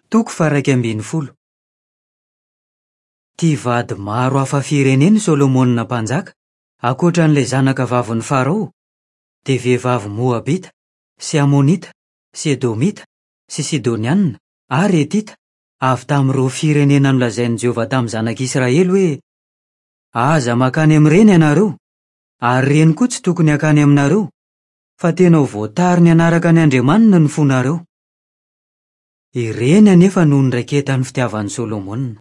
Toko faha-11. Tia vady maro hafa firenena i Solomona Mpanjaka, ankoatra an'ilay zanaka vavin'i Farao, dia vehivavy Moabita, sy Amonita, sy Edomita, sy Sidonianina, ary Hetita, avy tamin'ireo firenena nolazain'i Jehovah tamin'ny zanak'Israely hoe, Aza mankany amin'ireny ianareo, ary ireny koa tsy tokony hankany aminareo, fa tena ho voatariny hanaraka ny andriamaniny ny fonareo. Ireny anefa no niraiketan'ny fitiavan'i Solomona.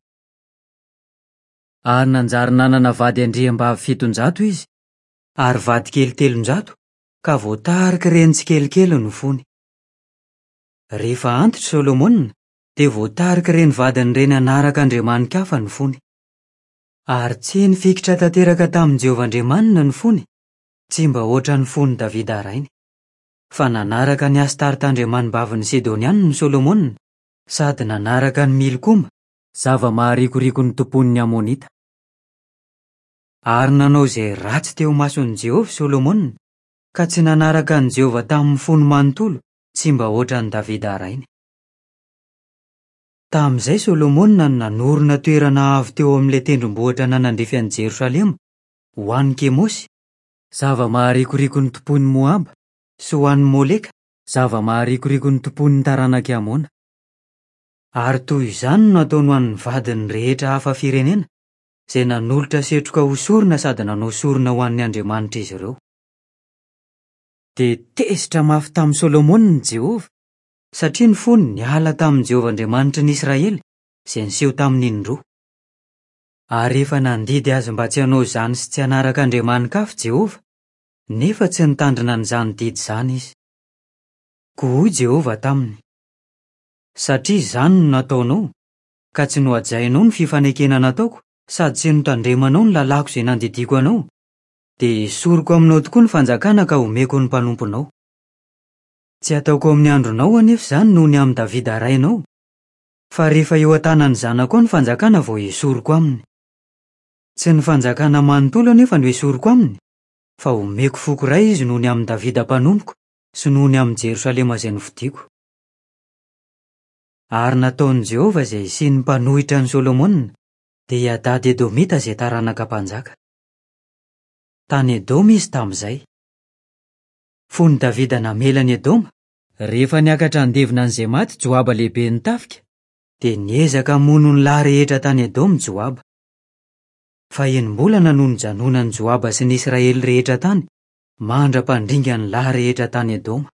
Ary nanjary nanana vady andriambavy 700 izy, ary vadikely 300, ka voatarik'ireny tsikelikely ny fony. Rehefa antitra i Solomona, dia voatarik'ireny vadiny ireny hanaraka andriamani-kafa ny fony. Ary tsy nifikitra tanteraka tamin'i Jehovah Andriamaniny ny fony, tsy mba hoatran'ny fon'i Davida rainy. Fa nanaraka an'i Astarta andriamanibavin'ny Sidonianina i Solomona, sady nanaraka an'i Milkoma, zava-maharikoriko notompoin'ny Amonita. Ary nanao izay ratsy teo imason'i Jehovah i Solomona, ka tsy nanaraka an'i Jehovah tamin'ny fony manontolo, tsy mba hoatran'i Davida rainy. Tamin'izay Solomona no nanorina toerana avo teo amin'ilay tendrombohitra nanandrify an'i Jerosalema, ho an'i Kemosy, zava-maharikoriko notompoin'i Moaba, sy ho an'i Moleka, zava-maharikoriko notompoin'ny taranak'i Amona. Ary toy izany no nataony ho an'ny vadiny rehetra hafa firenena, izay nanolotra setroka ho sorona sady nanao sorona ho an'ny andriamanitr'izy ireo. Dia tezitra mafy tamin'i Solomona i Jehovah, satria ny fony niala tamin'i Jehovah Andriamanitry ny Israely, izay niseho taminy indroa. Ary efa nandidy azy mba tsy hanao izany sy tsy hanaraka andriamani-kafa Jehovah, nefa tsy nitandrina an'izany didy izany izy. Koa hoy Jehovah taminy, Satria izany no nataonao, ka tsy nohajainao ny fifanekena nataoko sady tsy notandremanao ny lalàko izay nandidiako anao, dia hesoriko aminao tokoa ny fanjakana ka homeko ny mpanomponao. Tsy hataoko amin'ny andronao anefa izany noho ny amin'i Davida rainao, Fa rehefa eo an-tanan'ny zanakao ny fanjakana vao hesoriko aminy. Tsy ny fanjakana manontolo anefa no hesoriko aminy, fa homeko foko iray izy noho ny amin'i Davida mpanompoko sy noho ny amin'i Jerosalema izay nofidiko. Ary nataon'i Jehovah izay hisian'ny mpanohitra an'i Solomona, dia i Hadada Edomita izay taranaka mpanjaka. Tany Edoma izy tamin'izay. Fony Davida namela an'i Edoma, Rehefa niakatra handevina an'izay maty Joaba lehiben'ny tafika, dia niezaka hamono ny lahy rehetra tany Edoma Joaba. Fa enim-bolana no nijanonan'i Joaba sy ny Israely rehetra tany, mandra-pandringa ny lahy rehetra tany Edoma.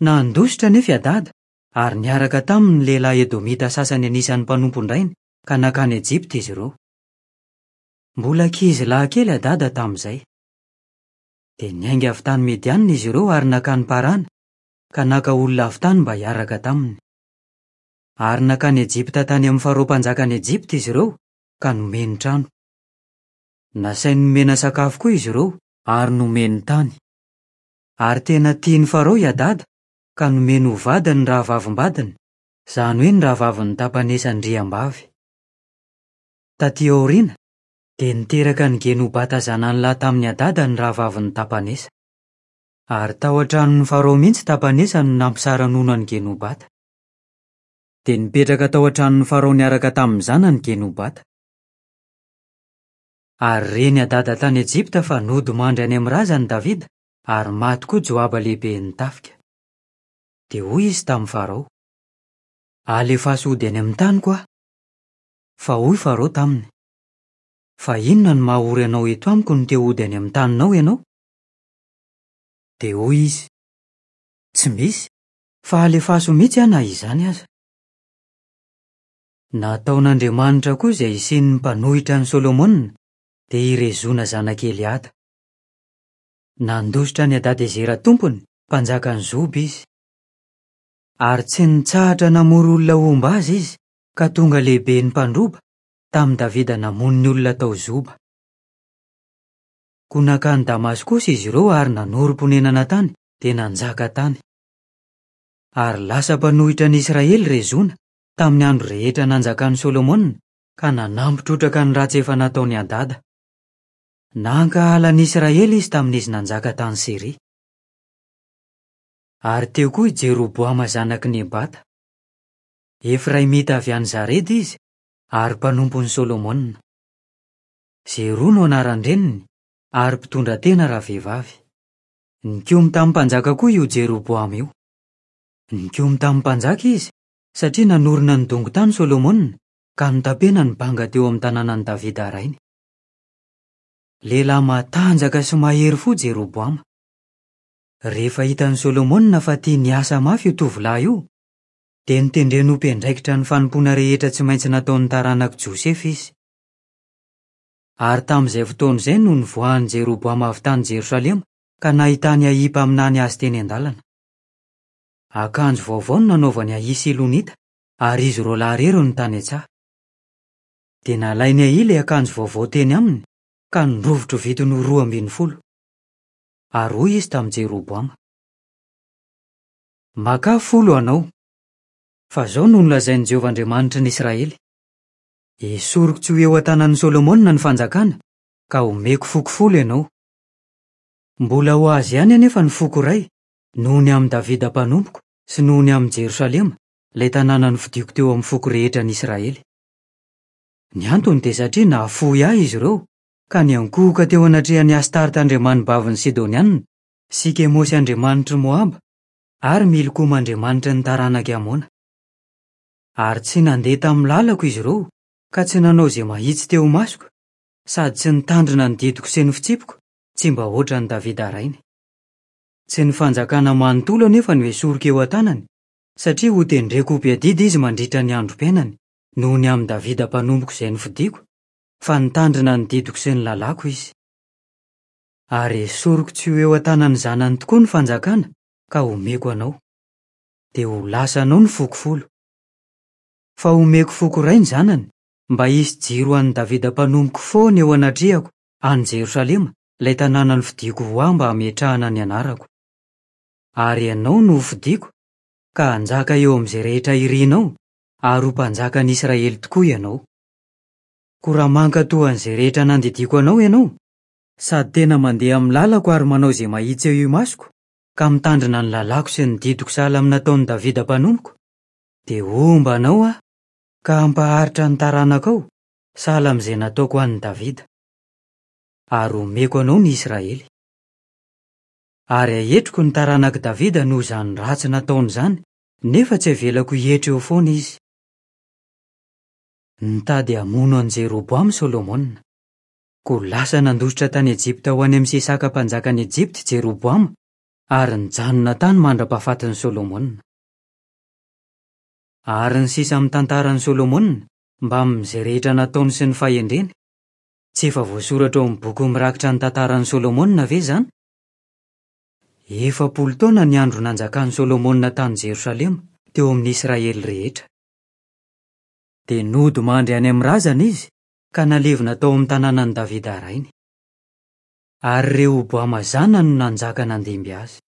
Nandositra anefa i Hadada, ary niaraka taminy ny lehilahy edomita sasany anisan'ny mpanompon-drainy, ka nankany Ejipta izy ireo. Mbola ankizilahy kely Hadada tamin'izay. Dia niainga avy tany Midiana izy ireo ary nankany Parana, ka naka olona avy tany mba hiaraka taminy. Ary nankany Ejipta tany amin'i Farao mpanjakan'i Ejipta izy ireo, ka nomeny trano. Nasainy nomena sakafo koa izy ireo, ary nomeny tany. Ary tena tian'i Farao i Hadada, ka nomeny ho vadiny ny rahavavim-badiny, izany hoe ny rahavavin'i Tapanesa andriambavy. Tatỳ aoriana, Dia niteraka an'i Genobata zanany lahy tamin'i Hadada ny rahavavin'i Tapanesa. Ary tao an-tranon'i Farao mihitsy Tapanesa no nampisara-nono an'i Genobata. Dia nipetraka tao an-tranon'i Farao niaraka tamin'ny zanany Genobata. Ary ren'i Hadada tany Ejipta fa nodimandry any amin'ny razany Davida, ary maty koa Joaba lehiben'ny tafika. Dia hoy izy tamin'i Farao, Alefaso hody any amin'ny taniko aho. Fa hoy Farao taminy, Fa inona no maha ory anao eto amiko no te hody any amin'ny taninao ianao? Dia hoy izy, Tsy misy, fa alefaso mihitsy aho na izany aza. Nataon'Andriamanitra koa izay hisian'ny mpanohitra an'i Solomona, dia i Rezona zanak'i Eliada. Nandositra an'i Hadadezera tompony, mpanjakan'i Zoba, izy. Ary tsy nitsahatra namory olona homba azy izy, ka tonga lehiben'ny mpandroba, tamin'i Davida namono ny olona tao Zoba. Koa nankany Damaskosy izy ireo ary nanorim-ponenana tany, dia nanjaka tany. Ary lasa mpanohitra ny Israely Rezona, tamin'ny andro rehetra nanjakan'i Solomona, ka nanampy trotraka ny ratsy efa nataon'i Hadada. Nankahala ny Israely izy tamin'izy nanjaka tany Syria. Ary teo koa i Jeroboama zanak'i Nebata. Efraimita avy any Zareda izy, ary mpanompon'i Solomona. Zeroa no anaran-dreniny, ary mpitondra tena ravehivavy. Nikomy tamin'ny mpanjaka koa io Jeroboama io. Nikomy tamin'ny mpanjaka izy, satria nanorina ny dongon-tany Solomona, ka notapena ny banga teo amin'ny tanànan'i Davida rainy. Lehilahy matanjaka sy mahery fo Jeroboama. Rehefa hitan'i Solomona fa tia niasa mafy io tovolahy io, dia notendreny ho mpiandraikitra ny fanompoana rehetra tsy maintsy nataon'ny taranak'i Josefa izy. Ary tamin'izay fotoana izay no nivoahan'i Jeroboama avy tany Jerosalema ka nahitany Ahia mpaminany azy teny an-dalana. Akanjo vaovao no nanaovan'i Ahia Silonita ary izy roalahy irery no tany an-tsaha. Dia nalain'i Ahia ilay akanjo vaovao teny aminy ka norovitrovitiny ho 12. Ary hoy izy tamin'i Jeroboama, Makà folo anao, fa izao no nolazain'i Jehovah Andriamanitry ny Israely, Esoriko tsy ho eo an-tanan'i Solomona ny fanjakana, ka homeko foko folo ianao. Mbola ho azy ihany anefa ny foko iray, noho ny amin'i Davida mpanompoko sy noho ny amin'i Jerosalema, ilay tanàna nofidiko teo amin'ny foko rehetra an'i Israely. Ny antony dia satria nahafoy ahy izy ireo, ka niankohoka teo anatrehan'i Astarta andriamanibavin'ny Sidonianina, sy Kemosy andriamanitr'i Moaba, ary Milkoma andriamanitry ny taranak'i Amona. Ary tsy nandeha tamin'ny lalako izy ireo, ka tsy nanao izay mahitsy teo imasoko, sady tsy nitandrina ny didiko sy ny fitsipiko, tsy mba hoatran'i Davida rainy. Tsy ny fanjakana manontolo anefa no esoriko eo an-tanany, satria hotendreko ho mpiadidy izy mandritra ny androm-piainany, noho ny amin'i Davida mpanompoko izay nofidiko, fa nitandrina ny didiko sy ny lalàko izy. Ary esoriko tsy ho eo an-tanan'ny zanany tokoa ny fanjakana ka homeko anao. Dia ho lasanao ny foko folo. Fa homeko foko iray ny zanany, mba hisy jiro ho an'i Davida mpanompoko foana eo anatrehako any Jerosalema, ilay tanàna nofidiko ho ahy mba hametrahana ny anarako. Ary ianao no hofidiko, ka hanjaka eo amin'izay rehetra irinao, ary ho mpanjakan'ny Israely tokoa ianao. Koa raha mankatò an'izay rehetra nandidiako anao ianao, sady tena mandeha amin'ny lalako ary manao izay mahitsy eo imasoko, ka mitandrina ny lalàko sy ny didiko sahala amin'ny nataon'i Davida mpanompoko, dia homba anao aho, ka hampaharitra ny taranakao, sahala amin'izay nataoko ho an'i Davida. Ary homeko anao ny Israely. Ary haetriko ny taranak'i Davida noho izany ratsy nataony izany, nefa tsy havelako hietry eo foana izy. Nitady hamono an'i Jeroboama i Solomona. Koa lasa nandositra tany Ejipta ho any amin'i Sisaka mpanjakan'i Ejipta i Jeroboama, ary nijanona tany mandra-pahafatin'i Solomona. Ary ny sisa amin'ny tantaran'i Solomona, mbamin'izay rehetra nataony sy ny fahendreny, tsy efa voasoratra ao amin'ny boky mirakitra ny tantaran'i Solomona ve izany? 40 taona ny andro nanjakan'i Solomona tany Jerosalema, teo amin'ny Israely rehetra. Dia nody mandry any amin'ny razany izy, ka nalevina tao amin'ny tanànan'i Davida rainy. Ary Rehoboama zanany no nanjaka nandimby azy.